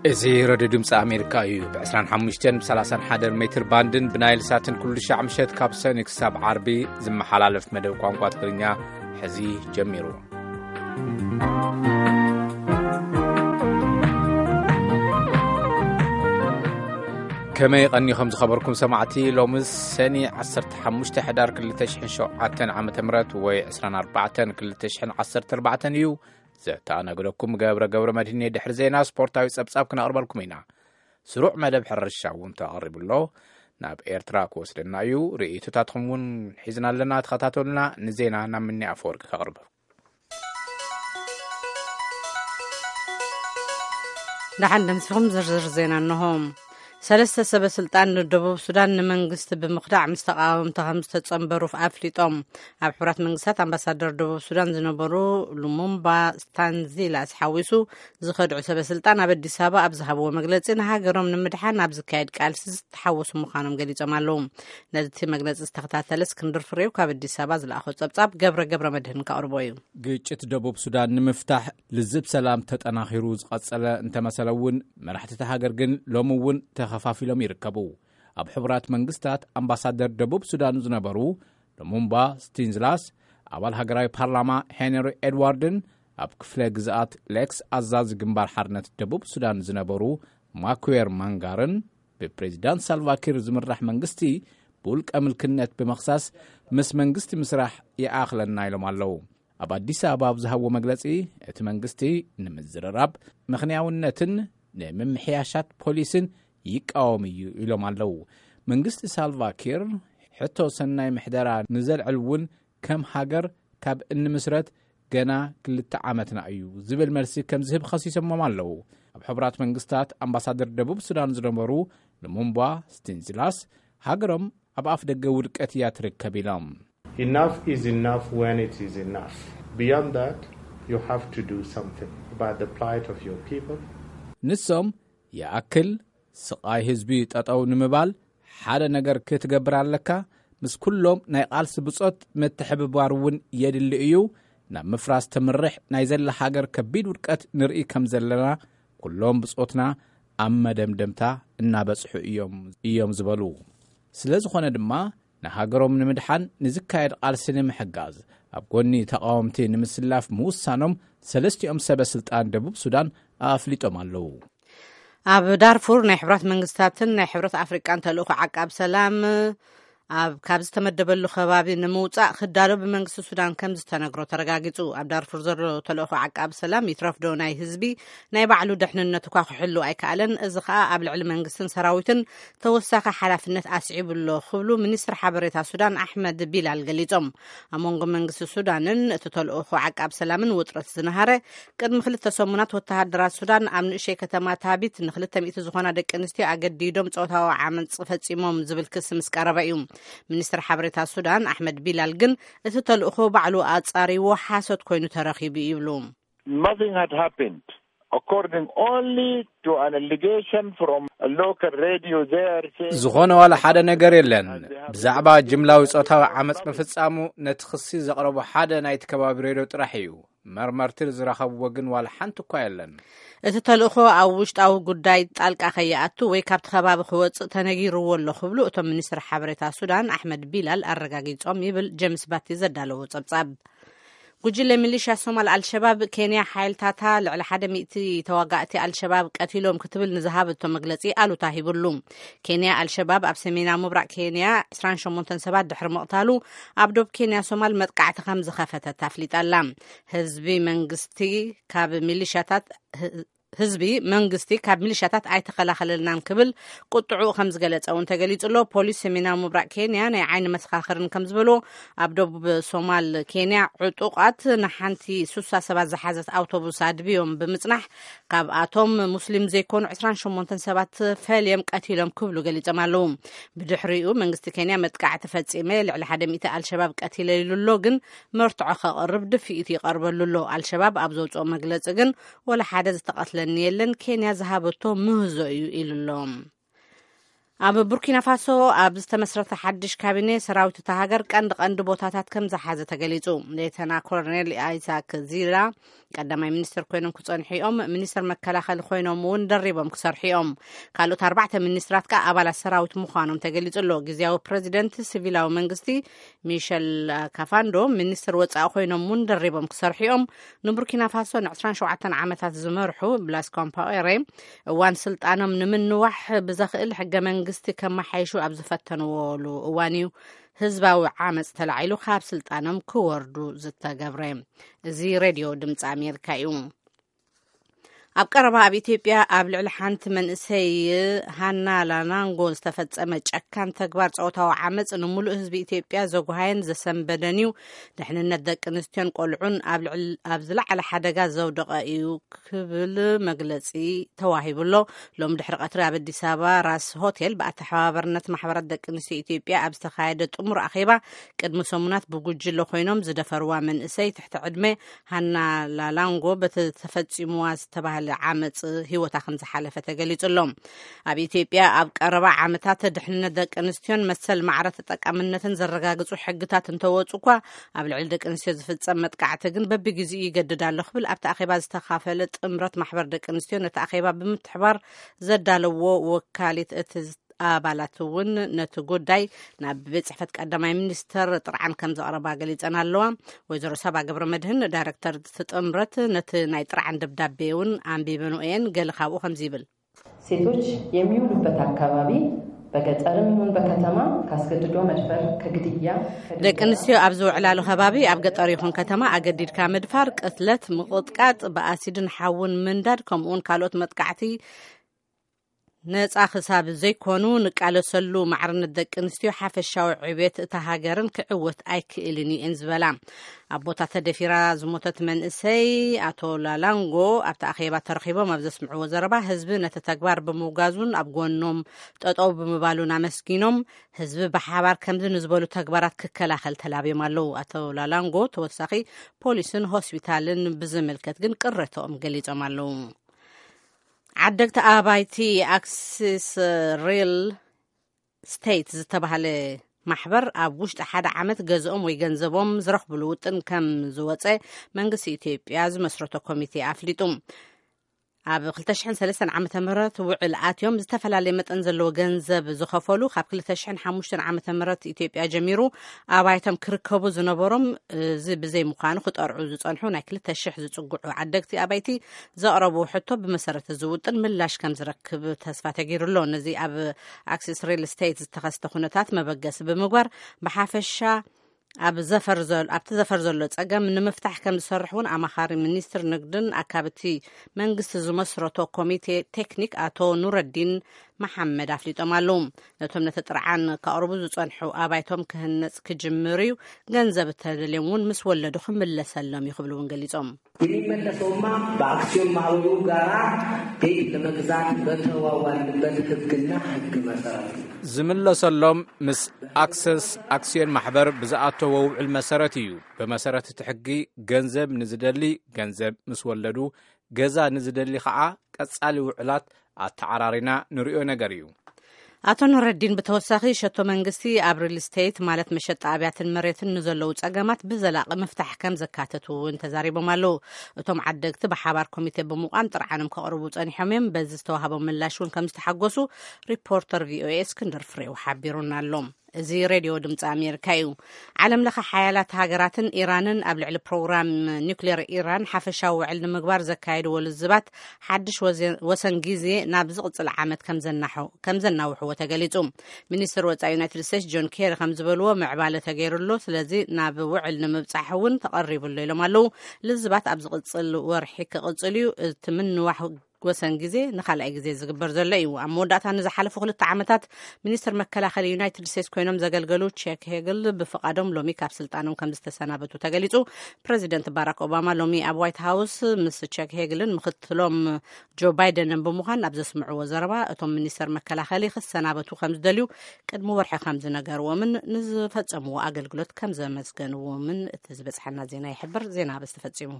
እዚ ረድዮ ድምፂ ኣሜሪካ እዩ። ብ ዕስራን ሓሙሽተን ብ ሰላሳን ሓደን ሜትር ባንድን ብናይል ሳትን ኩሉ ሻዕ ምሸት ካብ ሰኒ ክሳብ ዓርቢ ዝመሓላለፍ መደብ ቋንቋ ትግርኛ ሕዚ ጀሚሩ። ከመይ ቀኒኹም ዝኸበርኩም ሰማዕቲ? ሎምስ ሰኒ ዓሰርተ ሓሙሽተ ሕዳር ክልተ ሽሕን ሸውዓተን ዓመተ ምህረት ወይ ዕስራን ኣርባዕተን ክልተ ሽሕን ዓሰርተ ኣርባዕተን እዩ። ዘተኣናግደኩም ገብረ ገብረ መድህን። ድሕሪ ዜና ስፖርታዊ ጸብጻብ ክነቕርበልኩም ኢና። ስሩዕ መደብ ሕርሻ እውን ተቐሪቡ ኣሎ። ናብ ኤርትራ ክወስደና እዩ። ርእይቶታትኩም እውን ሒዝና ኣለና። ተኸታተሉና። ንዜና ናብ ምኒ ኣፈወርቂ ከቕርብ። ደሓን ደምሲኹም። ዝርዝር ዜና እንሆ። ሰለስተ ሰበ ስልጣን ደቡብ ሱዳን ንመንግስቲ ብምኽዳዕ ምስ ተቃወምቲ ከም ዝተጸንበሩ ኣፍሊጦም። ኣብ ሕቡራት መንግስታት ኣምባሳደር ደቡብ ሱዳን ዝነበሩ ሉሙምባ ስታንዚላስ ሓዊሱ ዝኸድዑ ሰበ ስልጣን ኣብ ኣዲስ ኣበባ ኣብ ዝሃብዎ መግለጺ ንሃገሮም ንምድሓን ኣብ ዝካየድ ቃልሲ ዝተሓወሱ ምዃኖም ገሊጾም ኣለዉ። ነቲ መግለጺ ዝተኸታተለ እስክንድር ፍሬው ካብ ኣዲስ ኣበባ ዝለኣኾ ጸብጻብ ገብረ ገብረ መድህን ከቕርቦ እዩ። ግጭት ደቡብ ሱዳን ንምፍታሕ ልዝብ ሰላም ተጠናኺሩ ዝቐጸለ እንተመሰለ እውን መራሕቲ እታ ሃገር ግን ሎሚ እውን ተኸፋፊሎም ይርከቡ። ኣብ ሕቡራት መንግስታት ኣምባሳደር ደቡብ ሱዳን ዝነበሩ ሉሙምባ ስቲንዝላስ፣ ኣባል ሃገራዊ ፓርላማ ሄንሪ ኤድዋርድን ኣብ ክፍለ ግዝኣት ሌክስ ኣዛዚ ግንባር ሓርነት ደቡብ ሱዳን ዝነበሩ ማኩዌር ማንጋርን ብፕሬዚዳንት ሳልቫኪር ዝምራሕ መንግስቲ ብውልቀ ምልክነት ብምኽሳስ ምስ መንግስቲ ምስራሕ ይኣኽለና ኢሎም ኣለዉ። ኣብ ኣዲስ ኣበባ ኣብ ዝሃብዎ መግለጺ፣ እቲ መንግስቲ ንምዝርራብ ምኽንያውነትን ንምምሕያሻት ፖሊስን ይቃወም እዩ ኢሎም ኣለዉ። መንግስቲ ሳልቫኪር ሕቶ ሰናይ ምሕደራ ንዘልዕል እውን ከም ሃገር ካብ እንምስረት ገና ክልተ ዓመትና እዩ ዝብል መልሲ ከም ዝህብ ከሲሶሞም ኣለዉ። ኣብ ሕቡራት መንግስታት ኣምባሳደር ደቡብ ሱዳን ዝነበሩ ሉሙምባ ስቲንዝላስ፣ ሃገሮም ኣብ ኣፍ ደገ ውድቀት እያ ትርከብ ኢሎም። Enough is enough when it is enough. Beyond that, you have to do something about the plight of your people. ንሶም ይኣክል፣ ስቓይ ህዝቢ ጠጠው ንምባል ሓደ ነገር ክትገብር ኣለካ። ምስ ኩሎም ናይ ቃልሲ ብጾት ምትሕብባር እውን የድሊ እዩ። ናብ ምፍራስ ተምርሕ ናይ ዘላ ሃገር ከቢድ ውድቀት ንርኢ ከም ዘለና፣ ኩሎም ብጾትና ኣብ መደምደምታ እናበጽሑ እዮም፣ እዮም ዝበሉ። ስለ ዝኾነ ድማ ንሃገሮም ንምድሓን ንዝካየድ ቃልሲ ንምሕጋዝ ኣብ ጎኒ ተቃወምቲ ንምስላፍ ምውሳኖም ሰለስቲኦም ሰበ ስልጣን ደቡብ ሱዳን ኣፍሊጦም ኣለዉ። ኣብ ዳርፉር ናይ ሕብራት መንግስታትን ናይ ሕብረት ኣፍሪቃን ተልእኾ ዓቃብ ሰላም ኣብ ካብ ዝተመደበሉ ከባቢ ንምውጻእ ክዳሎ ብመንግስቲ ሱዳን ከም ዝተነግሮ ተረጋጊጹ። ኣብ ዳርፉር ዘሎ ተልእኾ ዓቃብ ሰላም ይትረፍዶ ናይ ህዝቢ ናይ ባዕሉ ድሕንነት እኳ ክሕሉ ኣይከኣለን። እዚ ከኣ ኣብ ልዕሊ መንግስትን ሰራዊትን ተወሳኺ ሓላፍነት ኣስዒቡ ኣሎ ክብሉ ሚኒስትር ሓበሬታ ሱዳን ኣሕመድ ቢላል ገሊጾም። ኣብ መንጎ መንግስቲ ሱዳንን እቲ ተልእኾ ዓቃብ ሰላምን ውጥረት ዝነሃረ ቅድሚ ክልተ ሰሙናት ወተሃደራት ሱዳን ኣብ ንእሽተይ ከተማ ታቢት ንክልተ ሚእቲ ዝኾና ደቂ ኣንስትዮ ኣገዲዶም ጾታዊ ዓመጽ ፈጺሞም ዝብል ክሲ ምስ ቀረበ እዩ። ሚኒስትር ሓበሬታ ሱዳን ኣሕመድ ቢላል ግን እቲ ተልእኾ ባዕሉ ኣጻሪዎ ሓሶት ኮይኑ ተረኺቡ ይብሉ። Nothing had happened, according only to an allegation from a local radio there saying ዝኾነ ዋላ ሓደ ነገር የለን። ብዛዕባ ጅምላዊ ጾታዊ ዓመጽ ምፍጻሙ ነቲ ክሲ ዘቕረቦ ሓደ ናይቲ ከባቢ ሬድዮ ጥራሕ እዩ። መርመርቲ ዝረኸብዎ ግን ዋላ ሓንቲ እኳ የለን። እቲ ተልእኾ ኣብ ውሽጣዊ ጉዳይ ጣልቃ ከይኣቱ ወይ ካብቲ ከባቢ ክወጽእ ተነጊርዎ ኣሎ ክብሉ እቶም ሚኒስትር ሓበሬታ ሱዳን ኣሕመድ ቢላል ኣረጋጊጾም ይብል ጀምስ ባቲ ዘዳለዎ ጸብጻብ። ጉጅለ ሚሊሻ ሶማል ኣልሸባብ ኬንያ ሓይልታታ ልዕሊ ሓደ ሚእቲ ተዋጋእቲ ኣልሸባብ ቀቲሎም ክትብል ንዝሃበቶ መግለጺ ኣሉታ ሂብሉ። ኬንያ ኣልሸባብ ኣብ ሰሜናዊ ምብራቕ ኬንያ ዕስራን ሸሞንተን ሰባት ድሕሪ ምቕታሉ ኣብ ዶብ ኬንያ ሶማል መጥቃዕቲ ከም ዝኸፈተት ኣፍሊጣ ኣላ። ህዝቢ መንግስቲ ካብ ሚሊሻታት ህዝቢ መንግስቲ ካብ ሚሊሻታት ኣይተኸላኸለልናን ክብል ቁጥዑ ከም ዝገለጸ እውን ተገሊጹ ኣሎ። ፖሊስ ሰሜናዊ ምብራቕ ኬንያ ናይ ዓይኒ መሰኻኽርን ከም ዝበሎ ኣብ ደቡብ ሶማል ኬንያ ዕጡቓት ንሓንቲ ሱሳ ሰባት ዝሓዘት ኣውቶቡስ ኣድብዮም ብምጽናሕ ካብኣቶም ሙስሊም ዘይኮኑ ዕስራን ሸሞንተን ሰባት ፈልዮም ቀቲሎም ክብሉ ገሊጾም ኣለዉ። ብድሕሪኡ መንግስቲ ኬንያ መጥቃዕቲ ፈጺመ ልዕሊ ሓደ ሚእቲ ኣልሸባብ ቀቲለ ኢሉ ኣሎ፣ ግን መርትዖ ከቕርብ ድፍኢት ይቐርበሉ ኣሎ። ኣልሸባብ ኣብ ዘውፅኦ መግለፂ ግን ወላ ሓደ ዝተቐትለኒ የለን፣ ኬንያ ዝሃበቶ ምህዞ እዩ ኢሉ ኣሎ። ኣብ ቡርኪና ፋሶ ኣብ ዝተመስረተ ሓድሽ ካቢኔ፣ ሰራዊት እታ ሃገር ቀንዲ ቀንዲ ቦታታት ከም ዝሓዘ ተገሊጹ። ሌተና ኮሎኔል ኣይሳክ ዚላ ቀዳማይ ሚኒስትር ኮይኖም ክጸንሑ እዮም። ሚኒስትር መከላኸሊ ኮይኖም እውን ደሪቦም ክሰርሑ እዮም። ካልኦት ኣርባዕተ ሚኒስትራት ከኣ ኣባላት ሰራዊት ምዃኖም ተገሊጹ ኣሎ። ግዝያዊ ፕሬዚደንት ሲቪላዊ መንግስቲ ሚሸል ካፋንዶ ሚኒስትር ወጻኢ ኮይኖም እውን ደሪቦም ክሰርሑ እዮም። ንቡርኪና ፋሶ ን27 ዓመታት ዝመርሑ ብላስ ኮምፓኦሬ እዋን ስልጣኖም ንምንዋሕ ብዘኽእል ሕገ መንግስቲ ከመሓይሹ ኣብ ዝፈተንዎሉ እዋን እዩ ህዝባዊ ዓመፅ ተላዒሉ ካብ ስልጣኖም ክወርዱ ዝተገብረ። እዚ ሬድዮ ድምፂ ኣሜሪካ እዩ። ኣብ ቀረባ ኣብ ኢትዮጵያ ኣብ ልዕሊ ሓንቲ መንእሰይ ሃና ላናንጎ ዝተፈጸመ ጨካን ተግባር ጾታዊ ዓመፅ ንምሉእ ህዝቢ ኢትዮጵያ ዘጉሃየን ዘሰንበደን እዩ። ድሕንነት ደቂ ኣንስትዮን ቆልዑን ኣብ ልዕል-፣ ኣብ ዝለዓለ ሓደጋ ዘውደቐ እዩ ክብል መግለጺ ተዋሂቡ ኣሎ። ሎም ድሕሪ ቀትሪ ኣብ ኣዲስ ኣበባ ራስ ሆቴል ብኣተሓባባርነት ማሕበራት ደቂ ኣንስትዮ ኢትዮጵያ ኣብ ዝተኻየደ ጥሙር ኣኼባ፣ ቅድሚ ሰሙናት ብጉጅለ ኮይኖም ዝደፈርዋ መንእሰይ ትሕቲ ዕድመ ሃና ላላንጎ በቲ ተፈጺሙዋ ዝተባህለ ዓመጽ ህይወታ ከም ዝሓለፈ ተገሊጹ ኣሎ። ኣብ ኢትዮጵያ ኣብ ቀረባ ዓመታት ድሕንነት ደቂ ኣንስትዮን መሰል ማዕረ ተጠቃምነትን ዘረጋግጹ ሕግታት እንተወጹ እኳ፣ ኣብ ልዕሊ ደቂ ኣንስትዮ ዝፍጸም መጥቃዕቲ ግን በብግዜኡ ይገድድ ኣሎ ክብል ኣብቲ ኣኼባ ዝተኻፈለ ጥምረት ማሕበር ደቂ ኣንስትዮ ነቲ ኣኼባ ብምትሕባር ዘዳለዎ ወካሊት እቲ ኣባላት እውን ነቲ ጉዳይ ናብ ቤት ጽሕፈት ቀዳማይ ሚኒስተር ጥርዓን ከም ዘቕረባ ገሊጸን ኣለዋ። ወይዘሮ ሳባ ገብረ መድህን ዳይረክተር እቲ ጥምረት ነቲ ናይ ጥርዓን ደብዳቤ እውን ኣንቢበንኦ እየን። ገለ ካብኡ ከምዚ ይብል። ሴቶች የሚውሉበት አካባቢ በገጠርም ይሁን በከተማ ካስገድዶ መድፈር፣ ከግድያ፣ ከድብደባ፣ ደቂ ኣንስትዮ ኣብ ዝውዕላሉ ከባቢ፣ ኣብ ገጠር ይኹን ከተማ፣ ኣገዲድካ ምድፋር፣ ቅትለት፣ ምቕጥቃጥ፣ ብኣሲድን ሓውን ምንዳድ፣ ከምኡውን ካልኦት መጥቃዕቲ ነጻ ክሳብ ዘይኮኑ፣ ንቃለሰሉ ማዕርነት ደቂ ኣንስትዮ ሓፈሻዊ ዕቤት እታ ሃገርን ክዕወት ኣይክእልን እየን ዝበላ። ኣቦታ ተደፊራ ዝሞተት መንእሰይ ኣቶ ላላንጎ ኣብቲ ኣኼባ ተረኺቦም ኣብ ዘስምዕዎ ዘረባ፣ ህዝቢ ነቲ ተግባር ብምውጋዙን ኣብ ጎኖም ጠጠው ብምባሉን ኣመስጊኖም፣ ህዝቢ ብሓባር ከምዚ ንዝበሉ ተግባራት ክከላኸል ተላብዮም ኣለዉ። ኣቶ ላላንጎ ተወሳኺ ፖሊስን ሆስፒታልን ብዝምልከት ግን ቅሬታኦም ገሊጾም ኣለዉ። ዓደግቲ ኣባይቲ ኣክሲስ ሪል ስቴት ዝተባህለ ማሕበር ኣብ ውሽጢ ሓደ ዓመት ገዝኦም ወይ ገንዘቦም ዝረኽብሉ ውጥን ከም ዝወፀ መንግስቲ ኢትዮጵያ ዝመስረቶ ኮሚቴ ኣፍሊጡ። ኣብ ክልተ ሽሕን ሰለስተን ዓመተ ምህረት ውዕል ኣትዮም ዝተፈላለየ መጠን ዘለዎ ገንዘብ ዝኸፈሉ፣ ካብ ክልተ ሽሕን ሓሙሽተን ዓመተ ምህረት ኢትዮጵያ ጀሚሩ ኣባይቶም ክርከቡ ዝነበሮም፣ እዚ ብዘይ ምዃኑ ክጠርዑ ዝጸንሑ ናይ ክልተ ሽሕ ዝጽግዑ ዓደግቲ ኣባይቲ ዘቕረብዎ ሕቶ ብመሰረት እዚ ውጥን ምላሽ ከም ዝረክብ ተስፋ ተገይሩ ኣሎ። ነዚ ኣብ ኣክሲስ ሪል ስቴት ዝተኸስተ ኩነታት መበገሲ ብምግባር፣ ብሓፈሻ ኣብ ዘፈር ዘል-፣ ኣብቲ ዘፈር ዘሎ ጸገም ንምፍታሕ ከም ዝሰርሕ እውን ኣማኻሪ ሚኒስትር ንግድን ኣካብቲ መንግስቲ ዝመስረቶ ኮሚቴ ቴክኒክ ኣቶ ኑረዲን መሓመድ ኣፍሊጦም ኣለዉ። ነቶም ነቲ ጥርዓን ከቕርቡ ዝጸንሑ ኣባይቶም ክህነጽ ክጅምር እዩ፣ ገንዘብ እተደልዮም እውን ምስ ወለዱ ክምለሰሎም እዩ ክብሉ እውን ገሊጾም። የሚመለሰውማ በአክሲዮን ማህበሩ ጋራ ቤት ለመግዛት በተዋዋልንበት ህግና ህግ መሰረት ነው። ዝምለሰሎም ምስ ኣክሰስ ኣክሲዮን ማሕበር ብዝኣተዎ ውዕል መሰረት እዩ። ብመሰረት እቲ ሕጊ ገንዘብ ንዝደሊ ገንዘብ ምስ ወለዱ፣ ገዛ ንዝደሊ ከዓ ቀጻሊ ውዕላት ኣተዓራሪና ንሪኦ ነገር እዩ። ኣቶ ኑረዲን ብተወሳኺ ሸቶ መንግስቲ ኣብ ሪል ስቴት ማለት መሸጣ ኣብያትን መሬትን ንዘለዉ ጸገማት ብዘላቒ ምፍታሕ ከም ዘካተቱ እውን ተዛሪቦም ኣለዉ። እቶም ዓደግቲ ብሓባር ኮሚቴ ብምቋም ጥርዓኖም ከቕርቡ ጸኒሖም እዮም። በዚ ዝተዋህቦም ምላሽ እውን ከም ዝተሓጎሱ ሪፖርተር ቪኦኤ እስክንድር ፍሬው ሓቢሩና ኣሎ። እዚ ሬድዮ ድምፂ ኣሜሪካ እዩ። ዓለም ለኸ ሓያላት ሃገራትን ኢራንን ኣብ ልዕሊ ፕሮግራም ኒውክሌር ኢራን ሓፈሻዊ ውዕል ንምግባር ዘካየድዎ ልዝባት ሓድሽ ወዘ-፣ ወሰን ግዜ ናብ ዝቕፅል ዓመት ከም ዘናሑ-፣ ከም ዘናውሕዎ ተገሊፁ። ሚኒስትር ወፃኢ ዩናይትድ ስቴትስ ጆን ኬሪ ከም ዝበልዎ፣ ምዕባለ ተገይሩ ኣሎ፣ ስለዚ ናብ ውዕል ንምብፃሕ እውን ተቐሪቡ ኣሎ ኢሎም ኣለዉ። ልዝባት ኣብ ዝቕፅል ወርሒ ክቕፅል እዩ። እቲ ምንዋሕ ወሰን ግዜ ንኻልኣይ ግዜ ዝግበር ዘሎ እዩ። ኣብ መወዳእታ ንዝሓለፉ ክልተ ዓመታት ሚኒስትር መከላኸሊ ዩናይትድ ስቴትስ ኮይኖም ዘገልገሉ ቸክ ሄግል ብፍቓዶም ሎሚ ካብ ስልጣኖም ከም ዝተሰናበቱ ተገሊጹ። ፕሬዚደንት ባራክ ኦባማ ሎሚ ኣብ ዋይት ሃውስ ምስ ቸክ ሄግልን ምክትሎም ጆ ባይደንን ብምዃን ኣብ ዘስምዕዎ ዘረባ፣ እቶም ሚኒስተር መከላኸሊ ክሰናበቱ ከም ዝደልዩ ቅድሚ ወርሒ ከም ዝነገርዎምን ንዝፈጸምዎ ኣገልግሎት ከም ዘመስገንዎምን እቲ ዝበጽሐና ዜና ይሕብር። ዜና በዚ ተፈጺሙ።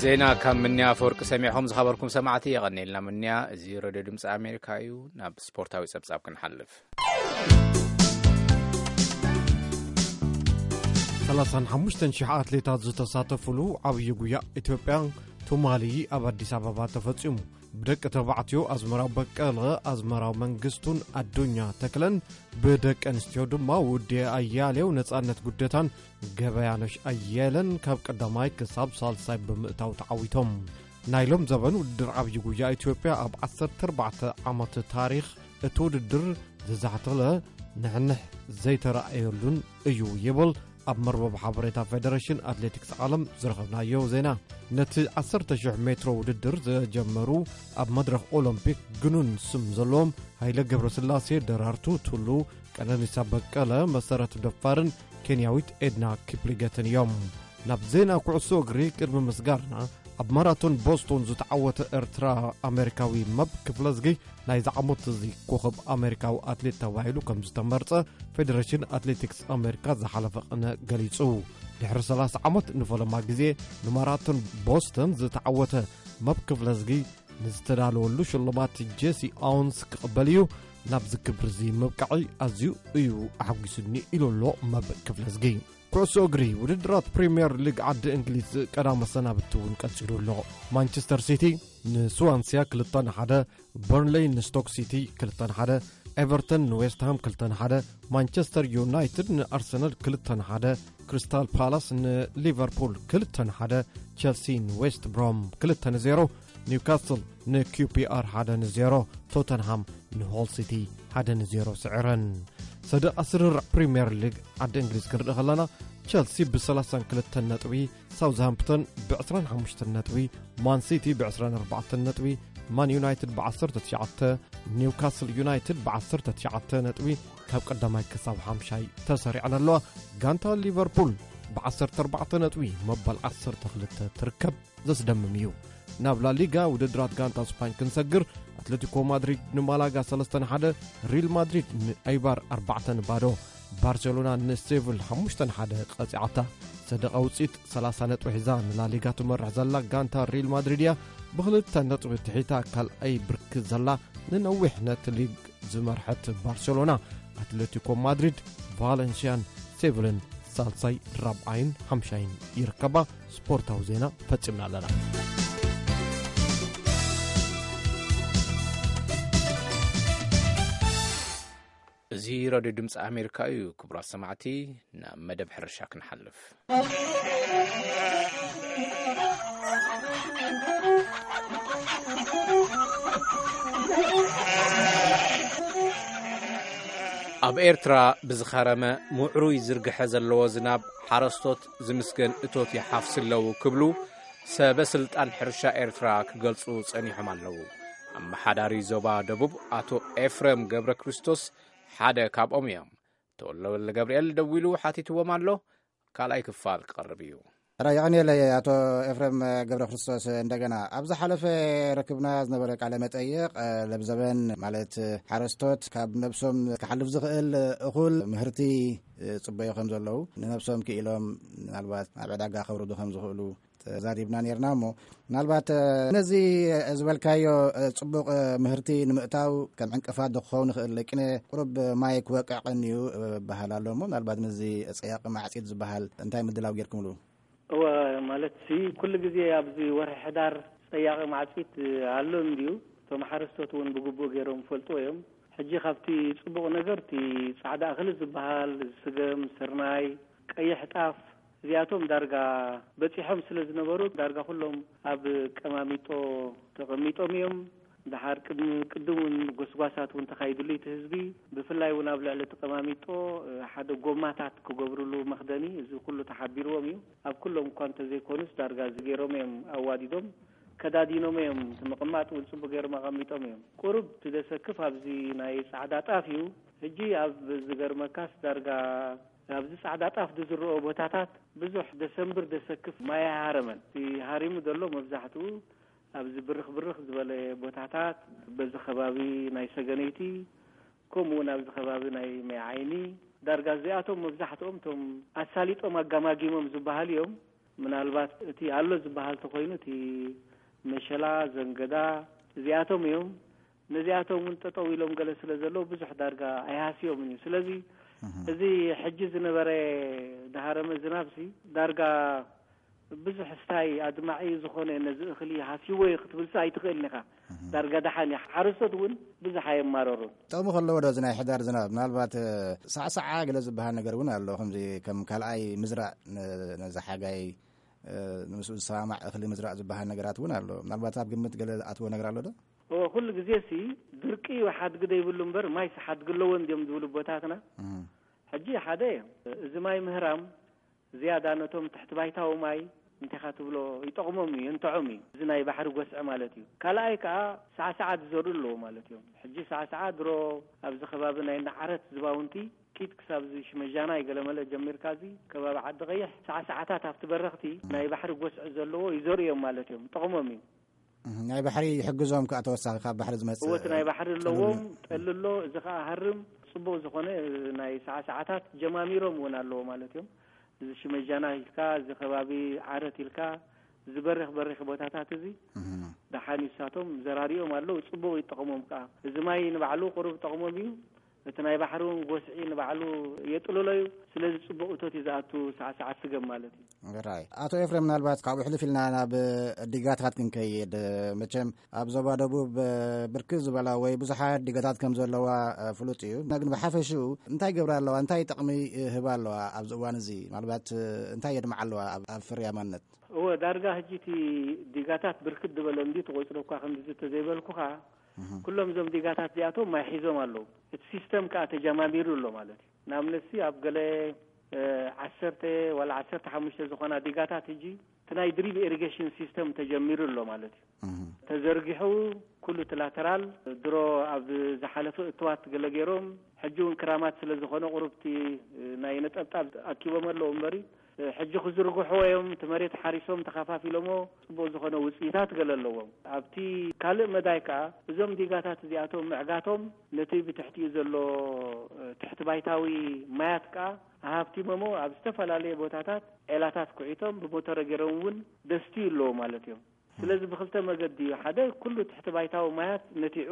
ዜና ካብ ምንያ ኣፈወርቂ ሰሚዕኹም ዝኸበርኩም ሰማዕቲ የቐኔልና ምንያ። እዚ ሬድዮ ድምፂ ኣሜሪካ እዩ። ናብ ስፖርታዊ ጸብጻብ ክንሓልፍ። ሰላሳን ሓሙሽተን ሺሕ ኣትሌታት ዝተሳተፉሉ ዓብዪ ጉያ ኢትዮጵያ ቱማሊ ኣብ ኣዲስ ኣበባ ተፈጺሙ። ብደቂ ተባዕትዮ ኣዝመራው በቀለ፣ ኣዝመራው መንግስቱን ኣዱኛ ተክለን፣ ብደቂ ኣንስትዮ ድማ ውዴ ኣያሌው፣ ነጻነት ጉደታን ገበያነሽ ኣየለን ካብ ቀዳማይ ክሳብ ሳልሳይ ብምእታው ተዓዊቶም። ናይ ሎም ዘበን ውድድር ዓብዪ ጉያ ኢትዮጵያ ኣብ ዓሰርተ ኣርባዕተ ዓመት ታሪኽ እቲ ውድድር ዝዛሕተለ ንሕንሕ ዘይተራእየሉን እዩ ይብል ኣብ መርበብ ሓበሬታ ፌደሬሽን ኣትሌቲክስ ዓለም ዝረኸብናዮ ዜና። ነቲ ዓሰርተ ሺሕ ሜትሮ ውድድር ዘጀመሩ ኣብ መድረኽ ኦሎምፒክ ግኑን ስም ዘለዎም ሃይለ ገብረስላሴ፣ ደራርቱ ቱሉ፣ ቀነኒሳ በቀለ፣ መሰረት ደፋርን ኬንያዊት ኤድና ኪፕሊገትን እዮም። ናብ ዜና ኩዕሶ እግሪ ቅድሚ ምስጋርና፣ ኣብ ማራቶን ቦስቶን ዝተዓወተ ኤርትራ ኣሜሪካዊ መብ ክፍለዝጊ ናይዚ ዓመት እዚ ኮኸብ ኣሜሪካዊ ኣትሌት ተባሂሉ ከም ዝተመርጸ ፌደሬሽን ኣትሌቲክስ ኣሜሪካ ዝሓለፈ ቅነ ገሊጹ። ድሕሪ ሰላሳ ዓመት ንፈለማ ግዜ ንማራቶን ቦስተን ዝተዓወተ መብ ክፍለዝጊ ንዝተዳለወሉ ሽልማት ጄሲ ኣውንስ ክቕበል እዩ። ናብዚ ክብሪ እዚ ምብቃዕይ ኣዝዩ እዩ ኣሐጒሱኒ ኢሉ ኣሎ መብ ክፍለዝጊ። ኩዕሶ እግሪ፣ ውድድራት ፕሪምየር ሊግ ዓዲ እንግሊዝ ቀዳም መሰናብቲ እውን ቀጺሉ ኣሎ። ማንቸስተር ሲቲ ንስዋንሲያ ክልተ ንሓደ፣ በርንሌይ ንስቶክ ሲቲ ክልተ ንሓደ፣ ኤቨርተን ንዌስትሃም ክልተ ንሓደ፣ ማንቸስተር ዩናይትድ ንኣርሰናል ክልተ ንሓደ፣ ክሪስታል ፓላስ ንሊቨርፑል ክልተ ንሓደ፣ ቸልሲ ንዌስት ብሮም ክልተ ንዜሮ፣ ኒውካስል ንኪውፒኣር ሓደ ንዜሮ፣ ቶተንሃም ንሆል ሲቲ ሓደ ንዜሮ ስዒረን። ሰደቓ ስርርዕ ፕሪምየር ሊግ ዓዲ እንግሊዝ ክንርኢ ከለና፣ ቸልሲ ብሰላሳን ክልተን ነጥቢ፣ ሳውዝሃምፕተን ብዕስራን ሓሙሽተን ነጥቢ፣ ማን ሲቲ ብዕስራን ኣርባዕተን ነጥቢ፣ ማን ዩናይትድ ብዓሰርተ ትሽዓተ፣ ኒውካስል ዩናይትድ ብዓሰርተ ትሽዓተ ነጥቢ ካብ ቀዳማይ ክሳብ ሓምሻይ ተሰሪዐን ኣለዋ። ጋንታ ሊቨርፑል ብዓሰርተ ኣርባዕተ ነጥቢ መበል ዓሰርተ ክልተ ትርከብ። ዘስደምም እዩ። ናብ ላሊጋ ውድድራት ጋንታ ስፓኝ ክንሰግር፣ ኣትሌቲኮ ማድሪድ ንማላጋ ሰለስተ ንሓደ፣ ሪል ማድሪድ ንኣይባር ኣርባዕተ ንባዶ፣ ባርሴሎና ንሴቪል ሓሙሽተ ንሓደ ቀጺዓታ። ሰደቓ ውጽኢት ሰላሳ ነጥቢ ሒዛ ንላሊጋ ትመርሕ ዘላ ጋንታ ሪል ማድሪድ እያ። ብኽልተ ነጥቢ ትሒታ ካልኣይ ብርኪ ዘላ ንነዊሕ ነቲ ሊግ ዝመርሐት ባርሴሎና፣ ኣትሌቲኮ ማድሪድ፣ ቫለንሲያን ሴቪልን ሳልሳይ፣ ራብዓይን ሓምሻይን ይርከባ። ስፖርታዊ ዜና ፈጺምና ኣለና። እዚ ሬድዮ ድምፂ ኣሜሪካ እዩ። ክቡራት ሰማዕቲ፣ ናብ መደብ ሕርሻ ክንሓልፍ። ኣብ ኤርትራ ብዝኸረመ ምዕሩይ ዝርግሐ ዘለዎ ዝናብ ሓረስቶት ዝምስገን እቶት ይሓፍስ ኣለዉ ክብሉ ሰበ ስልጣን ሕርሻ ኤርትራ ክገልጹ ጸኒሖም ኣለዉ። ኣመሓዳሪ ዞባ ደቡብ ኣቶ ኤፍረም ገብረ ክርስቶስ ሓደ ካብኦም እዮም። ተወልደ ወልደ ገብርኤል ደዊሉ ሓቲትዎም ኣሎ። ካልኣይ ክፋል ክቐርብ እዩ። ራ የቐንየለይ ኣቶ ኤፍረም ገብረ ክርስቶስ። እንደገና ኣብ ዝሓለፈ ረክብና ዝነበረ ቃለ መጠይቕ፣ ለብዘበን ማለት ሓረስቶት ካብ ነብሶም ክሓልፍ ዝኽእል እኹል ምህርቲ ጽበዮ ከም ዘለዉ፣ ንነብሶም ክኢሎም ምናልባት ኣብ ዕዳጋ ከውርዱ ከም ዝኽእሉ ተዛሪብና ነርና። እሞ ምናልባት ነዚ ዝበልካዮ ጽቡቕ ምህርቲ ንምእታው ከም ዕንቅፋት ዶ ክኸውን ይኽእል? ቅነ ቁሩብ ማይ ክወቅዕ ቀንዩ በሃል ኣሎ። እሞ ምናልባት ምስዚ ጸያቂ ማዕጺድ ዝበሃል እንታይ ምድላው ጌርኩምሉ? እወ፣ ማለት ሲ ኩሉ ግዜ ኣብዚ ወርሒ ሕዳር ጸያቂ ማዕጺድ ኣሎ እንድዩ። እቶም ሓረስቶት እውን ብግቡእ ገይሮም ይፈልጥዎ እዮም። ሕጂ ካብቲ ጽቡቕ ነገር እቲ ጻዕዳ እኽሊ ዝበሃል ስገም፣ ስርናይ፣ ቀይሕ ጣፍ እዚኣቶም ዳርጋ በጺሖም ስለ ዝነበሩ ዳርጋ ኩሎም ኣብ ቀማሚጦ ተቐሚጦም እዮም። ደሓር ቅድሚ ቅድም እውን ጎስጓሳት እውን ተኻይድሉ እቲ ህዝቢ፣ ብፍላይ እውን ኣብ ልዕሊ እቲ ቀማሚጦ ሓደ ጎማታት ክገብርሉ መኽደኒ፣ እዚ ኩሉ ተሓቢርዎም እዩ። ኣብ ኩሎም እኳ እንተዘይኮኑስ ዳርጋ እዚ ገይሮም እዮም፣ ኣዋዲዶም ከዳዲኖም እዮም። እቲ ምቕማጥ እውን ጽቡቅ ገይሮም ኣቐሚጦም እዮም። ቁሩብ እቲ ደሰክፍ ኣብዚ ናይ ጻዕዳ ጣፍ እዩ። ሕጂ ኣብ ዝገርመካስ ዳርጋ ኣብዚ ጻዕዳ ጣፍ ዝዝርኦ ቦታታት ብዙሕ ደሰምብር ደሰክፍ ማይ ኣይሃረመን። እቲ ሃሪሙ ዘሎ መብዛሕትኡ ኣብዚ ብርኽ ብርኽ ዝበለ ቦታታት፣ በዚ ከባቢ ናይ ሰገነይቲ፣ ከምኡ እውን ኣብዚ ከባቢ ናይ ማይ ዓይኒ፣ ዳርጋ እዚኣቶም መብዛሕትኦም እቶም ኣሳሊጦም ኣጋማጊሞም ዝበሃሉ እዮም። ምናልባት እቲ ኣሎ ዝበሃል ተኮይኑ፣ እቲ መሸላ፣ ዘንገዳ፣ እዚኣቶም እዮም። ነዚኣቶም እውን ጠጠው ኢሎም ገለ ስለ ዘለዉ ብዙሕ ዳርጋ ኣይሃስዮምን እዩ። ስለዚ እዚ ሕጂ ዝነበረ ድሃረመ ዝናብሲ ዳርጋ ብዙሕ ስታይ ኣድማዒ ዝኾነ ነዚ እኽሊ ሃስይዎ እዩ ክትብልሲ ኣይትኽእልን ኢኻ። ዳርጋ ደሓን እዩ። ሓረስቶት እውን ብዙሕ ኣየማረሩን። ጥቕሚ ከለዎ ዶ እዚ ናይ ሕዳር ዝናብ? ምናልባት ሳዕሳዓ ገለ ዝበሃል ነገር እውን ኣሎ። ከምዚ ከም ካልኣይ ምዝራእ፣ ነዚ ሓጋይ ንምስኡ ዝሰማማዕ እኽሊ ምዝራእ ዝበሃል ነገራት እውን ኣሎ። ምናልባት ኣብ ግምት ገለ ኣትዎ ነገር ኣሎ ዶ? እወ፣ ኩሉ ግዜሲ ድርቂ ሓድጊ ዘይብሉ እምበር ማይስ ሓድጊ ኣለዎ እንዲዮም ዝብሉ ቦታትና። ሕጂ ሓደ፣ እዚ ማይ ምህራም ዝያዳ ነቶም ትሕቲ ባይታዊ ማይ እንቴኻ ትብሎ ይጠቕሞም እዩ፣ ይንትዖም እዩ፣ እዚ ናይ ባሕሪ ጎስዒ ማለት እዩ። ካልኣይ ከዓ ሳዕሳዓት ዝዘርኡ ኣለዎ ማለት እዮም። ሕጂ ሳዕሳዓ ድሮ ኣብዚ ከባቢ ናይ ናዓረት ዝባውንቲ ኪድ ክሳብ እዚ ሽመጃናይ ገለመለ ጀሚርካ፣ እዚ ከባቢ ዓዲ ቀይሕ ሳዕሳዓታት ኣብቲ በረኽቲ ናይ ባሕሪ ጎስዒ ዘለዎ ይዘርኡ እዮም ማለት እዮም። ጥቕሞም እዩ። ናይ ባሕሪ ይሕግዞም ከዓ ተወሳኺ ካብ ባሕሪ ዝመፅእ እወ፣ እቲ ናይ ባሕሪ ኣለዎም። ጠሊ ኣሎ፣ እዚ ከዓ ሃርም ፅቡቕ ዝኾነ ናይ ሳዕሳዓታት ጀማሚሮም እውን ኣለዎ ማለት እዮም። እዚ ሽመጃና ኢልካ፣ እዚ ከባቢ ዓረት ኢልካ፣ እዚ በሪኽ በሪኽ ቦታታት እዚ ደሓን እዩ፣ ንሳቶም ዘራሪኦም ኣለዉ፣ ጽቡቕ ይጠቕሞም ከኣ። እዚ ማይ ንባዕሉ ቁሩብ ጠቕሞም እዩ፣ እቲ ናይ ባሕሪ እውን ጎስዒ ንባዕሉ የጥልሎ እዩ። ስለዚ ጽቡቕ እቶት እዩ ዝኣቱ ሳዕሳዓት ስገም ማለት እዩ። ራይ። ኣቶ ኤፍሬም፣ ምናልባት ካብኡ ሕልፍ ኢልና ናብ ዲጋታት ክንከይድ፣ መቸም ኣብ ዞባ ደቡብ ብርክት ዝበላ ወይ ብዙሓት ዲጋታት ከም ዘለዋ ፍሉጥ እዩ። ግን ብሓፈሽኡ እንታይ ይገብራ ኣለዋ? እንታይ ጥቕሚ ይህባ ኣለዋ? ኣብዚ እዋን እዚ ምናልባት እንታይ የድምዓ ኣለዋ ኣብ ፍርያማነት? እወ፣ ዳርጋ ሕጂ እቲ ዲጋታት ብርክት ዝበለ እንዲ ተቆጽሮ እኳ ከምዚ ተዘይበልኩኻ፣ ኩሎም እዞም ዲጋታት እዚኣቶም ማይ ሒዞም ኣለዉ። እቲ ሲስተም ከኣ ተጀማሚሩ ኣሎ ማለት እዩ። ንኣብነትሲ ኣብ ገለ ዓሰርተ ዋላ ዓሰርተ ሓሙሽተ ዝኾና ዲጋታት ሕጂ እቲ ናይ ድሪፕ ኢሪጌሽን ሲስተም ተጀሚሩ ኣሎ ማለት እዩ። ተዘርጊሑ ኩሉ እቲ ላተራል ድሮ ኣብ ዝሓለፈ እትዋት ገለ ገይሮም፣ ሕጂ እውን ክራማት ስለ ዝኾነ ቁሩብቲ ናይ ነጠብጣብ ኣኪቦም ኣለዉ እምበሪ፣ ሕጂ ክዝርግሕዎ እዮም። እቲ መሬት ሓሪሶም ተኸፋፊሎሞ ጽቡቕ ዝኾነ ውጽኢታት ገለ ኣለዎም። ኣብቲ ካልእ መዳይ ከኣ እዞም ዲጋታት እዚኣቶም ምዕጋቶም ነቲ ብትሕቲኡ ዘሎ ትሕቲ ባይታዊ ማያት ከኣ ኣሃብቲሞሞ ኣብ ዝተፈላለየ ቦታታት ዔላታት ኩዒቶም ብሞተረ ገይሮም እውን ደስትዩ ኣለዎ ማለት እዮም። ስለዚ ብክልተ መገዲ እዩ። ሓደ፣ ኩሉ ትሕቲ ባይታዊ ማያት ነቲዑ፣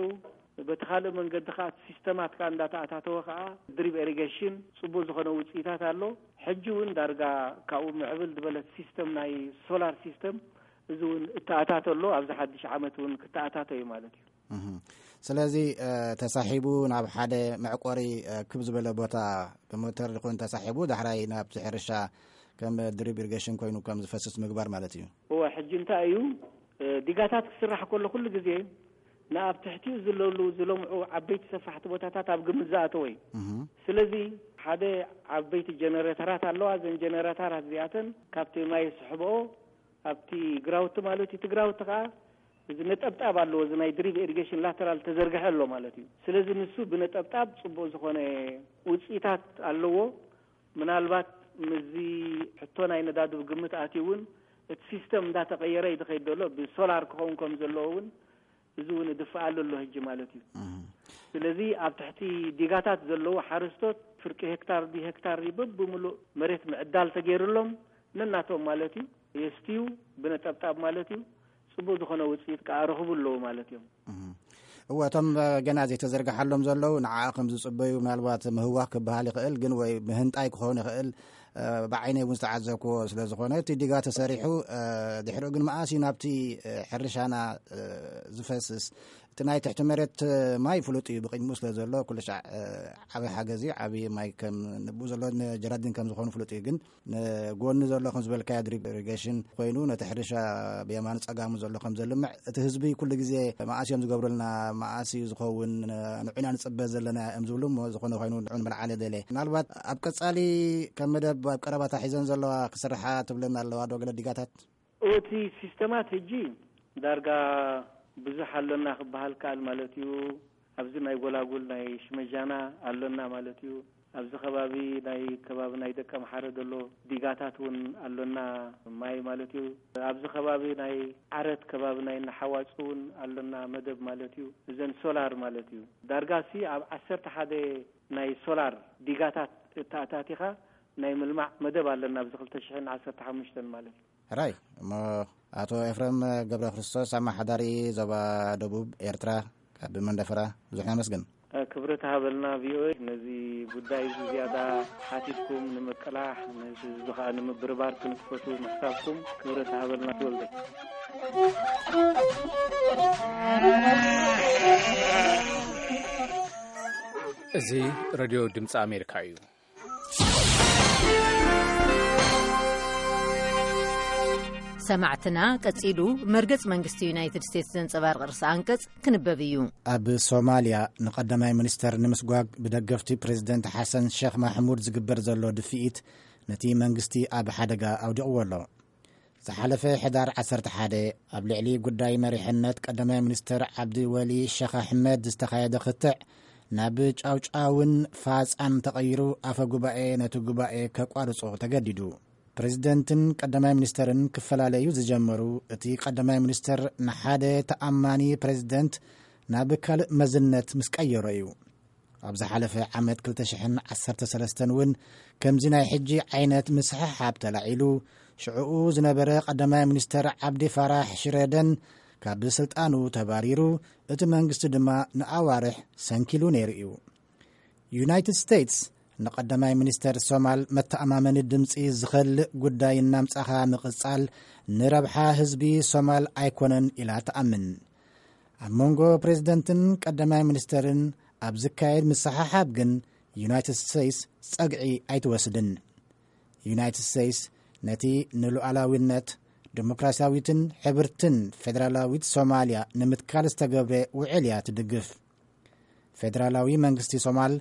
በቲ ካልእ መንገዲ ከኣ እቲ ሲስተማት ከኣ እንዳተኣታተወ ከኣ ድሪፕ ኢሪጌሽን ጽቡቅ ዝኾነ ውጽኢታት ኣሎ። ሕጂ እውን ዳርጋ ካብኡ ምዕብል ዝበለት ሲስተም ናይ ሶላር ሲስተም እዚ እውን እተኣታቶ ኣሎ። ኣብዚ ሓድሽ ዓመት እውን ክተኣታቶ እዩ ማለት እዩ። እህ። ስለዚ፣ እ፣ ተሳሒቡ ናብ ሓደ መዕቆሪ፣ እ፣ ክብ ዝበለ ቦታ ብሞተር ይኹን ተሳሒቡ ዳሕራይ ናብቲ ሕርሻ ከም ድሪፕ ኢሪጌሽን ኮይኑ ከም ዝፈስስ ምግባር ማለት እዩ። እወ፣ ሕጂ እንታይ እዩ፣ እ፣ ዲጋታት ክስራሕ ከሎ ኩሉ ግዜ ንኣብ ትሕቲኡ ዝለሉ ዝለምዑ ዓበይቲ ሰፋሕቲ ቦታታት ኣብ ግምት ዝኣተወ እዩ። እህ። ስለዚ ሓደ ዓበይቲ ጀነሬተራት ኣለዋ። እዘን ጀነሬተራት እዚኣተን ካብቲ ማይ ዝስሕብኦ ኣብቲ ግራውቲ ማለት እዩ። እቲ ግራውቲ ከኣ እዚ ነጠብጣብ ኣለዎ፣ እዚ ናይ ድሪፕ ኢሪጌሽን ላተራል ተዘርግሐ ኣሎ ማለት እዩ። ስለዚ ንሱ ብነጠብጣብ ጽቡቕ ዝኾነ ውጽኢታት ኣለዎ። ምናልባት ምስዚ ሕቶ ናይ ነዳዲ ብግምት ኣትዩ እውን እቲ ሲስተም እንዳተቐየረ እዩ ዝኸይድ ዘሎ። ብሶላር ክኸውን ከም ዘለዎ እውን እዚ እውን ይድፍኣሉ ኣሎ ሕጂ ማለት እዩ። እህ። ስለዚ ኣብ ትሕቲ ዲጋታት ዘለዉ ሓረስቶት ፍርቂ ሄክታር ድዩ ሄክታር ድዩ በብምሉእ መሬት ምዕዳል ተገይሩሎም ነናቶም ማለት እዩ የስትዩ ብነጠብጣብ ማለት እዩ ጽቡቕ ዝኾነ ውጽኢት ከኣ ረኽቡ ኣለዉ ማለት እዮም። እህ። እወ፣ እቶም፣ እ፣ ገና ዘይተዘርግሓሎም ዘለዉ ንዓኣ ከም ዝጽበዩ ምናልባት ምህዋኽ ክበሃል ይኽእል፣ ግን ወይ ምህንጣይ ክኸውን ይኽእል። እ፣ ብዓይነይ እውን ዝተዓዘብክዎ ስለ ዝኾነ እቲ ዲጋ ተሰሪሑ፣ እ፣ ድሕሪኡ ግን መኣስ እዩ ናብቲ፣ እ፣ ሕርሻና፣ እ፣ ዝፈስስ? እቲ ናይ ትሕቲ መሬት፣ እ፣ ማይ ፍሉጥ እዩ፣ ብቕድሚኡ ስለ ዘሎ ኩሉ ሻዕ፣ እ፣ ዓቢ ሓገዝ እዩ፣ ዓቢ ማይ ከም ንብኡ ዘሎ ንጀራዲን ከም ዝኾኑ ፍሉጥ እዩ። ግን ንጎኒ ዘሎ ከም ዝበልካዮ ድሪፕ ኢሪጌሽን ኮይኑ ነቲ ሕርሻ ብየማኑ ጸጋሙ ዘሎ ከም ዘልምዕ እቲ ህዝቢ ኩሉ ግዜ መኣስ እዮም ዝገብሩልና፣ መኣስ እዩ ዝኸውን፣ ንዑና ንጽበ ዘለና እዮም ዝብሉ እሞ ዝኾነ ኮይኑ ንዑ ንመልዓለ ደለ። ምናልባት ኣብ ቀጻሊ ከም መደብ ኣብ ቀረባታ ሒዘን ዘለዋ ክስርሓ ትብለና ኣለዋ ዶ ገለ ዲጋታት? እቲ ሲስተማት ሕጂ ዳርጋ ብዙሕ ኣሎና ክበሃል ከኣል ማለት እዩ። ኣብዚ ናይ ጎላጉል ናይ ሽመጃና ኣሎና ማለት እዩ። ኣብዚ ከባቢ ናይ ከባቢ ናይ ደቀ ምሓረ ዘሎ ዲጋታት እውን ኣሎና ማይ ማለት እዩ። ኣብዚ ከባቢ ናይ ዓረት ከባቢ ናይ ነሓዋፅ እውን ኣሎና መደብ ማለት እዩ። እዘን ሶላር ማለት እዩ። ዳርጋ ሲ ኣብ ዓሰርተ ሓደ ናይ ሶላር ዲጋታት እተኣታቲኻ ናይ ምልማዕ መደብ ኣለና ኣብዚ ክልተ ሽሕን ዓሰርተ ሓሙሽተን ማለት እዩ። ሕራይ እሞ፣ ኣቶ ኤፍረም ገብረ ክርስቶስ፣ ኣመሓዳሪ ዞባ ደቡብ ኤርትራ፣ ካብ መንደፈራ፣ ብዙሕ ነመስግን። ክብረት ሃበልና ቪኦኤ፣ ነዚ ጉዳይ እዚ ዝያዳ ሓቲትኩም ንምቅላሕ፣ ነዚ እዚ ከዓ ንምብርባር ክንትፈቱ ምሕሳብኩም፣ ክብረት ሃበልና። ትወልደ። እዚ ሬድዮ ድምፂ ኣሜሪካ እዩ። ሰማዕትና፣ ቀጺሉ መርገጽ መንግስቲ ዩናይትድ ስቴትስ ዘንጸባርቕ ርእሰ ኣንቀጽ ክንበብ እዩ። ኣብ ሶማልያ ንቀዳማይ ሚኒስተር ንምስጓግ ብደገፍቲ ፕሬዝደንት ሓሰን ሸኽ ማሕሙድ ዝግበር ዘሎ ድፍኢት፣ ነቲ መንግስቲ ኣብ ሓደጋ ኣውዲቕዎ ኣሎ። ዝሓለፈ ሕዳር ዓሰርተ ሓደ፣ ኣብ ልዕሊ ጉዳይ መሪሕነት ቀዳማይ ሚኒስተር ዓብዲ ወሊ ሸኽ ኣሕመድ ዝተኻየደ ክትዕ፣ ናብ ጫውጫውን ፋጻን ተቐይሩ፣ ኣፈ ጉባኤ ነቲ ጉባኤ ከቋርጾ ተገዲዱ። ፕሬዝደንትን ቀዳማይ ሚኒስተርን ክፈላለዩ ዝጀመሩ፣ እቲ ቀዳማይ ሚኒስተር ንሓደ ተኣማኒ ፕሬዝደንት ናብ ካልእ መዝነት ምስ ቀየሮ እዩ። ኣብ ዝሓለፈ ዓመት ክልተ ሽሕን ዓሰርተ ሰለስተን እውን ከምዚ ናይ ሕጂ ዓይነት ምስሕሓብ ተላዒሉ፣ ሽዕኡ ዝነበረ ቀዳማይ ሚኒስተር ዓብዲ ፋራሕ ሽረደን ካብ ስልጣኑ ተባሪሩ፣ እቲ መንግስቲ ድማ ንኣዋርሕ ሰንኪሉ ነይሩ እዩ። ዩናይትድ ስቴትስ ንቀዳማይ ሚኒስተር ሶማል መተኣማመኒ ድምፂ ዝኸልእ ጉዳይ እናምጻኻ ምቕጻል ንረብሓ ህዝቢ ሶማል ኣይኮነን ኢላ ትኣምን። ኣብ መንጎ ፕሬዝደንትን ቀዳማይ ሚኒስተርን ኣብ ዝካየድ ምስሕሓብ ግን ዩናይትድ ስቴትስ ጸግዒ ኣይትወስድን። ዩናይትድ ስቴትስ ነቲ ንሉዓላዊነት፣ ዲሞክራሲያዊትን ሕብርትን ፌደራላዊት ሶማልያ ንምትካል ዝተገብረ ውዕል እያ ትድግፍ። ፌደራላዊ መንግስቲ ሶማል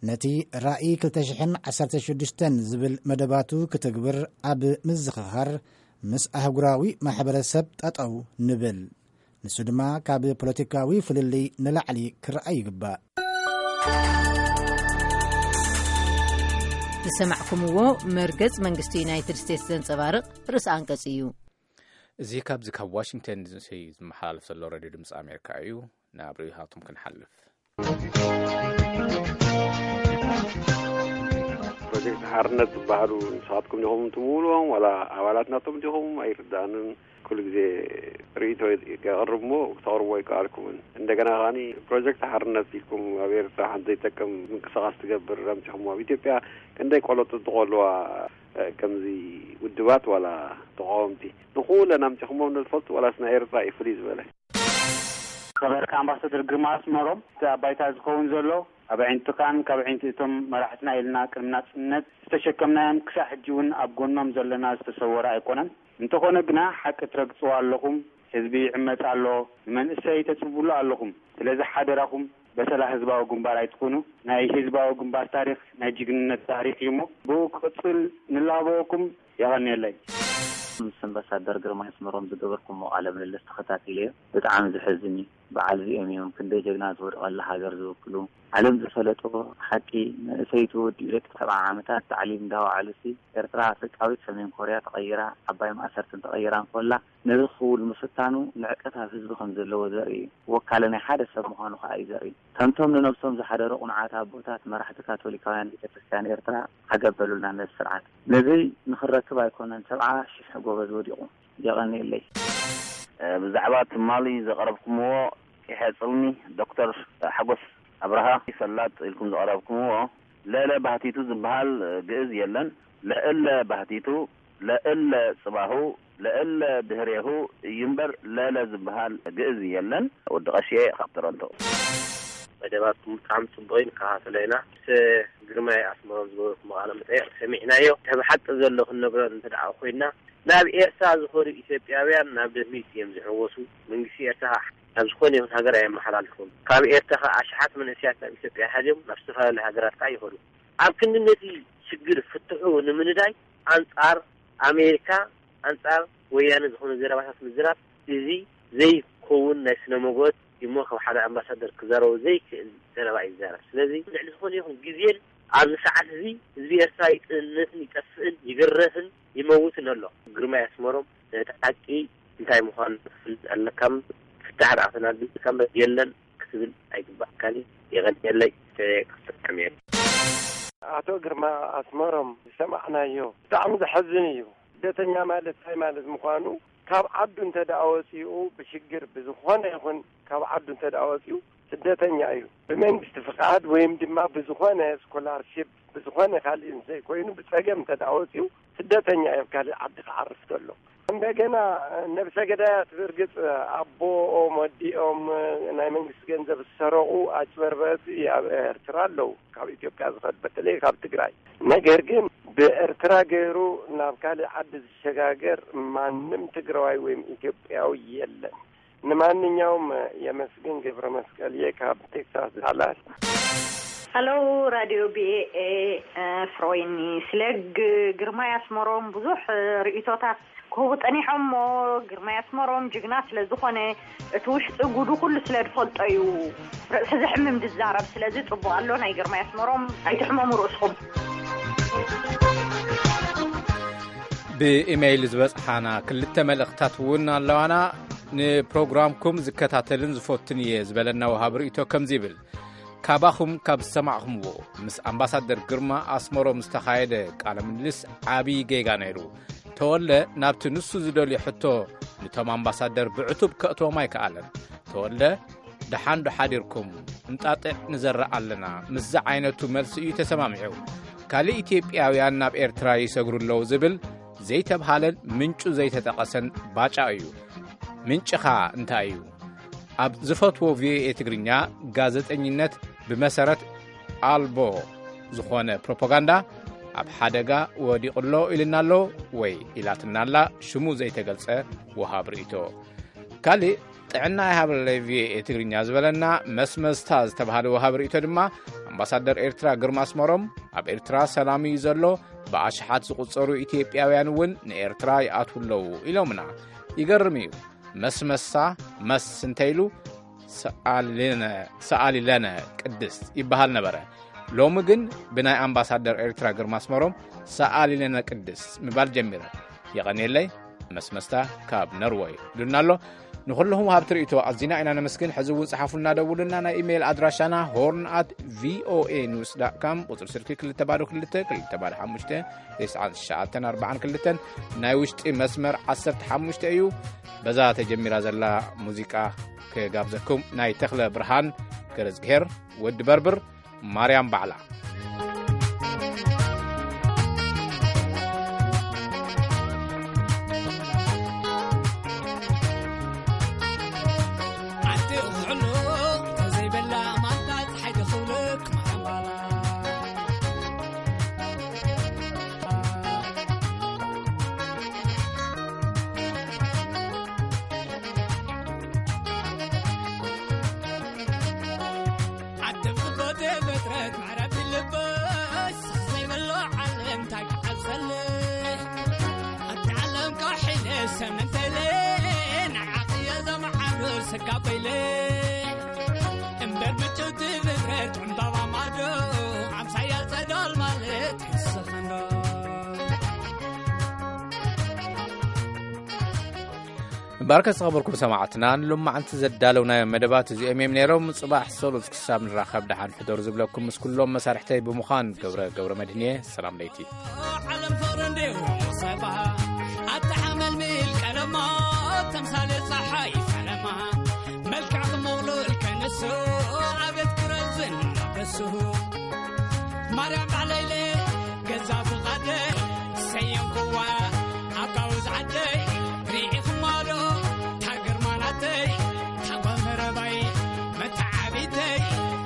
ነቲ ራእይ ክልተ ሽሕን ዓሰርተ ሽዱሽተን ዝብል መደባቱ ክትግብር ኣብ ምዝኽኻር ምስ ኣህጉራዊ ማሕበረሰብ ጠጠው ንብል። ንሱ ድማ ካብ ፖለቲካዊ ፍልልይ ንላዕሊ ክረኣይ ይግባእ። ዝሰማዕኩምዎ መርገጽ መንግስቲ ዩናይትድ ስቴትስ ዘንጸባርቕ ርእሰ ኣንቀጽ እዩ። እዚ ካብዚ ካብ ዋሽንግተን ዲሲ ዝመሓላለፍ ዘሎ ሬድዮ ድምፂ ኣሜሪካ እዩ። ናብ ርእይቶታቶም ክንሓልፍ። ፕሮጀክት ሓርነት ዝበሃሉ ንስኻትኩም ዲኹም ትምውልዎም ዋላ ኣባላት ናቶም ዲኹም ኣይርዳእንን። ኩሉ ግዜ ርእይቶ የቕርብ እሞ ክተቕርቦ ኣይከኣልኩምን። እንደገና ከዓኒ ፕሮጀክት ሓርነት ኢልኩም ኣብ ኤርትራ ሓንቲ ዘይጠቅም ምንቅስቓስ ትገብር ኣምፂኹምዎ። ኣብ ኢትዮጵያ ክንደይ ቆሎ ጥጥቖ ኣለዋ፣ ከምዚ ውድባት ዋላ ተቃወምቲ ንኩለን ኣምፂኹሞም ዶ ትፈልጡ? ዋላስ ናይ ኤርትራ እዩ ፍልይ ዝበለ? ከበርካ ኣምባሳደር ግርማ ኣስመሮም፣ እቲ ኣብ ባይታ ዝኸውን ዘሎ ኣብ ኣዒንትኻን ካብ ኣዒንቲ እቶም መራሕትና ኢልና ቅድሚ ናጽነት ዝተሸከምናዮም ክሳዕ ሕጂ እውን ኣብ ጎኖም ዘለና ዝተሰወረ ኣይኮነን። እንተኾነ ግና ሓቂ ትረግጽዎ ኣለኹም። ህዝቢ ይዕመጽ ኣሎ፣ ንመንእሰይ ተጽብሉ ኣለኹም። ስለዚ ሓደራኹም በሰላ ህዝባዊ ግንባር ኣይትኹኑ። ናይ ህዝባዊ ግንባር ታሪኽ ናይ ጅግንነት ታሪኽ እዩ እሞ ብኡ ክቕጽል ንላበወኩም። የቐንየለይ። ምስ ኣምባሳደር ግርማይ ኣስመሮም ዝገበርኩሞ ቃለ ምልልስ ተኸታቲለዮ። ብጣዕሚ ዘሕዝን እዩ። በዓል እዚኦም እዮም ክንደይ ጀግና ዝወደቐላ ሃገር ዝውክሉ። ዓለም ዝፈለጦ ሓቂ፣ መንእሰይ ተወዲኡ ደቂ ሰብዓ ዓመታት ታዕሊም እንዳወዓሉሲ፣ ኤርትራ ኣፍሪቃዊት ሰሜን ኮርያ ተቐይራ፣ ዓባይ ማእሰርትን ተቐይራ እንኮላ፣ ነዚ ክውል ምፍታኑ ንዕቀት ኣብ ህዝቢ ከም ዘለዎ ዘርኢ እዩ። ወካሊ ናይ ሓደ ሰብ ምዃኑ ከኣ እዩ ዘርኢ። ከምቶም ንነብሶም ዝሓደሩ ቅኑዓት ኣቦታት መራሕቲ ካቶሊካውያን ቤተ ክርስቲያን ኤርትራ፣ ዓገብ በሉልና ነዚ ስርዓት። ነዚ ንኽንረክብ ኣይኮነን ሰብዓ ሽሕ ጎበዝ ወዲቑ። የቐንየለይ። ብዛዕባ ትማሊ ዘቕረብኩምዎ ቂሐ ጽልሚ ዶክተር ሓጎስ ኣብርሃ ፈላጥ ኢልኩም ዘቕረብኩምዎ፣ ለእለ ባህቲቱ ዝበሃል ግእዝ የለን። ለእለ ባህቲቱ፣ ለእለ ጽባሁ፣ ለእለ ድህሬሁ እዩ እምበር ለለ ዝበሃል ግእዝ የለን። ወዲ ቀሽየ ካብ ቶሮንቶ። መደባትኩም ብጣዕሚ ጽቡቕ እዩ፣ ንከታተሎ ኢና። ምስ ግርማይ ኣስመሮም ዝገበርኩሞ ቃለ መጠይቕ ሰሚዕናዮ። እቲ ብሓቂ ዘሎ ክንነግሮ እንተ ደኣ ኮይንና፣ ናብ ኤርትራ ዝኾኑ ኢትዮጵያውያን ናብ ደድሚት እዮም ዝሕወሱ። መንግስቲ ኤርትራ ናብ ዝኾነ ይኹን ሃገር ኣየመሓላልፉን። ካብ ኤርትራ ከኣ ኣሽሓት መንእሰያት ናብ ኢትዮጵያ ሓዝዮም ናብ ዝተፈላለዩ ሃገራት ከኣ ይኸዱ። ኣብ ክንዲ ነቲ ሽግር ፍትሑ ንምንዳይ ኣንጻር ኣሜሪካ፣ ኣንጻር ወያነ ዝኾነ ዘረባታት ምዝራብ፣ እዚ ዘይከውን ናይ ስነ መጎት እሞ ካብ ሓደ ኣምባሳደር ክዛረቦ ዘይክእል ዘረባ እዩ ዝዛረብ። ስለዚ ልዕሊ ዝኾነ ይኹን ግዜን ኣብዚ ሰዓት እዚ ህዝቢ ኤርትራ ይጥንትን ይጠፍእን ይግረፍን ይመውትን ኣሎ። ግርማይ ኣስመሮም ነቲ ሓቂ እንታይ ምዃኑ ክትፈልጥ ኣለካ። ፍታሕ ደኣ ተናዲልካ እምበር የለን ክትብል ኣይግባእካን እዩ። የቐንየለይ። ተየቀሰቀም እየ። ኣቶ ግርማ ኣስመሮም ዝሰማዕናዮ ብጣዕሚ ዘሐዝን እዩ። ስደተኛ ማለት እንታይ ማለት ምዃኑ፣ ካብ ዓዱ እንተ ደኣ ወጺኡ፣ ብሽግር ብዝኾነ ይኹን ካብ ዓዱ እንተ ደኣ ወጺኡ፣ ስደተኛ እዩ። ብመንግስቲ ፍቓድ ወይም ድማ ብዝኾነ ስኮላርሺፕ፣ ብዝኾነ ካልእ እንተይኮይኑ፣ ብጸገም እንተ ደኣ ወጺኡ፣ ስደተኛ እዩ፣ ኣብ ካልእ ዓዲ ክዓርፍ ከሎ። እንደገና ነብሰ ገዳያት፣ ብርግጽ ኣቦኦም፣ ወዲኦም፣ ናይ መንግስቲ ገንዘብ ዝሰረቑ ኣጭበርበርቲ ኣብ ኤርትራ ኣለዉ፣ ካብ ኢትዮጵያ ዝኸዱ፣ በተለይ ካብ ትግራይ። ነገር ግን ብኤርትራ ገይሩ ናብ ካልእ ዓዲ ዝሸጋገር ማንም ትግራዋይ ወይም ኢትዮጵያዊ የለን። ንማንኛውም የመስግን ገብረ መስቀል እየ ካብ ቴክሳስ ዳላስ። ሃሎ ራድዮ ቢ ኤ ኤ፣ ፍሮይኒ ስለ ግ- ግርማይ ኣስመሮም ብዙሕ ርእይቶታት ክህቡ ጸኒሖም እሞ፣ ግርማይ ኣስመሮም ጅግና ስለ ዝኾነ፣ እቲ ውሽጢ ጉዱ ኩሉ ስለ ዝፈልጦ እዩ ርእሲ ዘሕምም ዝዛረብ። ስለዚ ጽቡቕ ኣሎ ናይ ግርማይ ኣስመሮም፣ ኣይትሕመሙ ርእስኹም። ብኢሜይል ዝበጽሓና ክልተ መልእኽታት እውን ኣለዋና። ንፕሮግራምኩም ዝከታተልን ዝፈቱን እየ ዝበለና ወሃብ ርእይቶ ከምዚ ይብል። ካባኹም ካብ ዝሰማዕኹምዎ፣ ምስ ኣምባሳደር ግርማ ኣስመሮም ዝተኻየደ ቃለ ምልልስ ዓብዪ ጌጋ ነይሩ። ተወልደ ናብቲ ንሱ ዝደልዮ ሕቶ፣ ንቶም ኣምባሳደር ብዕቱብ ከእትዎም ኣይከኣለን። ተወልደ፣ ደሓን ዶ ሓዲርኩም? እንጣጢዕ ንዘርእ ኣለና፣ ምስዚ ዓይነቱ መልሲ እዩ ተሰማሚዑ። ካልእ ኢትዮጵያውያን ናብ ኤርትራ ይሰግሩ ኣለዉ ዝብል ዘይተብሃለን ምንጩ ዘይተጠቐሰን ባጫ እዩ። ምንጭኻ እንታይ እዩ? ኣብ ዝፈትዎ ቪኦኤ ትግርኛ፣ ጋዜጠኝነት ብመሰረት ኣልቦ ዝኾነ ፕሮፓጋንዳ ኣብ ሓደጋ ወዲቑ ኣሎ ኢልና ኣሎ ወይ ኢላትና ኣላ ሽሙ ዘይተገልጸ ወሃብ ርእይቶ። ካልእ፣ ጥዕና ይሃበለይ ቪኦኤ ትግርኛ ዝበለና መስመስታ ዝተባህለ ወሃብ ርእይቶ ድማ፣ ኣምባሳደር ኤርትራ ግርማ ኣስመሮም፣ ኣብ ኤርትራ ሰላም እዩ ዘሎ፣ ብኣሽሓት ዝቑጸሩ ኢትዮጵያውያን እውን ንኤርትራ ይኣትዉ ኣለዉ ኢሎምና። ይገርም እዩ። መስመሳ መስ እንተ ኢሉ ሰኣሊለነ ቅድስት ይበሃል ነበረ። ሎሚ ግን ብናይ ኣምባሳደር ኤርትራ ግርማ ኣስመሮም ሰኣሊለነ ቅድስት ምባል ጀሚረ። የቐንየለይ። መስመስታ ካብ ነርወይ ኢሉና ኣሎ። ንኹልኹም ወሃብቲ ርእይቶ ኣዚና ኢና ነመስግን። ሕዚ እውን ጸሓፉልና፣ ደውሉና። ናይ ኢሜይል ኣድራሻና ሆርን ኣት ቪኦኤ ኒውስ ዳት ካም፣ ቁጽሪ ስልኪ ክልተ ባዶ ክልተ ክልተ ባዶ ሓሙሽተ ተስዓን ትሽዓተን ኣርባዓን ክልተን፣ ናይ ውሽጢ መስመር ዓሰርተ ሓሙሽተ እዩ። በዛ ተጀሚራ ዘላ ሙዚቃ ክጋብዘኩም፣ ናይ ተኽለ ብርሃን ገረዝግሄር ወዲ በርብር፣ ማርያም ባዕላ። እምበኣርከ ዝተኸበርኩም ሰማዕትና፣ ንሎማዓንቲ ዘዳለውናዮም መደባት እዚኦም እዮም ነይሮም። ጽባሕ ሰሉስ ክሳብ ንራኸብ ደሓን ሕደሩ ዝብለኩም ምስ ኩሎም መሳርሕተይ ብምዃን ገብረ ገብረ መድህን እየ። ሰላም ለይቲ። ዓለም ፍቕሪ እንዲሁ ሰባ ኣተሓመልሚል ቀለማ ተምሳሌ ፀሓይ ፈለማ መልክዕ ክመቕሉል ከንሱ ኣቤት ክረዝን በሱ ማርያም ባዕለይለ ገዛ ፍቓደ ሰየምኩዋ ኣባውዝ ዓደይ ርኢኹማ ዶ ታግርማናተይ ታጓመረባይ መተዓቢተይ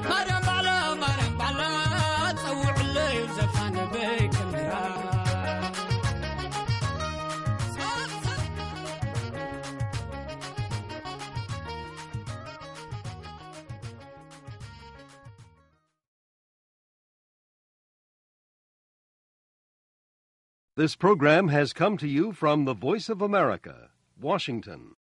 ማርያም ባዕላ ማርያም ባዕላ ጸውዕለይ ዘፋንበይ ክምራ This program has come to you from the Voice of America, Washington.